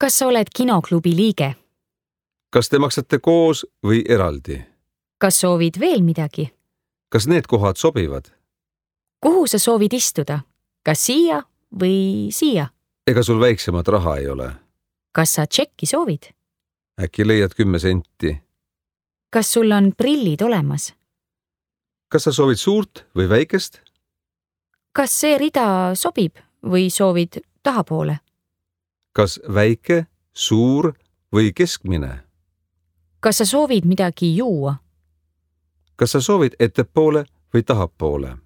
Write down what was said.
Kas sa oled kinoklubi liige? Kas te maksate koos või eraldi? Kas soovid veel midagi? Kas need kohad sobivad? Kuhu sa soovid istuda? Kas siia või siia? Ega sul väiksemat raha ei ole? Kas sa tšekki soovid? Äkki leiad 10 senti? Kas sul on prillid olemas? Kas sa soovid suurt või väikest? Kas see rida sobib või soovid tahapoole? Kas väike, suur või keskmine? Kas sa soovid midagi juua? Kas sa soovid ettepoole või tahapoole?